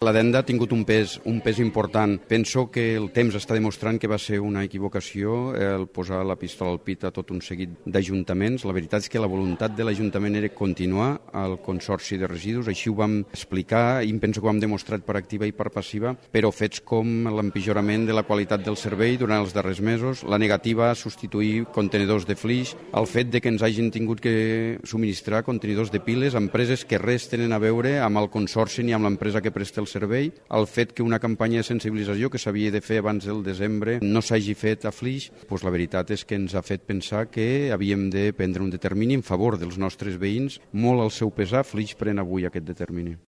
L'addenda ha tingut un pes important. Penso que el temps està demostrant que va ser una equivocació el posar la pistola al pit a tot un seguit d'ajuntaments. La veritat és que la voluntat de l'Ajuntament era continuar al Consorci de Residus, així ho vam explicar i penso que ho hem demostrat per activa i per passiva, però fets com l'empitjorament de la qualitat del servei durant els darrers mesos, la negativa a substituir contenidors de flix, el fet de que ens hagin tingut que subministrar contenidors de piles a empreses que res tenen a veure amb el Consorci ni amb l'empresa que presta el servei, el fet que una campanya de sensibilització que s'havia de fer abans del desembre no s'hagi fet a Flix, doncs la veritat és que ens ha fet pensar que havíem de prendre un determini en favor dels nostres veïns. Molt al seu pesar, Flix pren avui aquest determini.